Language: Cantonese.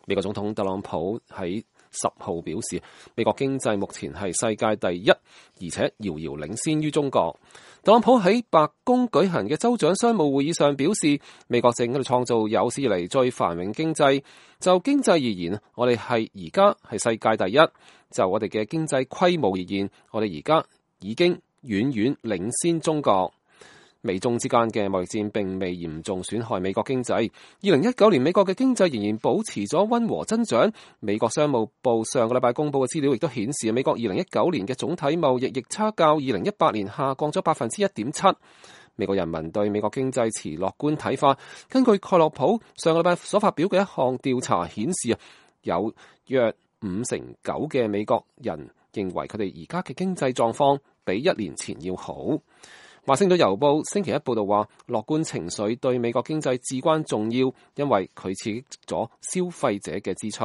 美國總統特朗普喺10號表示，美國經濟目前係世界第一，而且遙遙領先於中國。特朗普喺白宮舉行嘅州長商務會議上表示，美國正喺度創造有史以嚟最繁榮經濟。就經濟而言，我哋而家係世界第一。就我哋嘅經濟規模而言，我哋而家已經遠遠領先中國。美中之間嘅貿易戰並未嚴重損害美國經濟。2019年美國嘅經濟仍然保持咗溫和增長。美國商務部上個禮拜公布嘅資料亦都顯示，美國2019年嘅總體貿易逆差較2018年下降咗1.7%。美國人民對美國經濟持樂觀睇法。根據蓋洛普上個禮拜所發表嘅一項調查顯示，有約59%嘅美國人認為佢哋而家嘅經濟狀況比1年前要好。華盛頓郵報星期一報道話，樂觀情緒對美國經濟至關重要，因為佢刺激咗消費者嘅支出。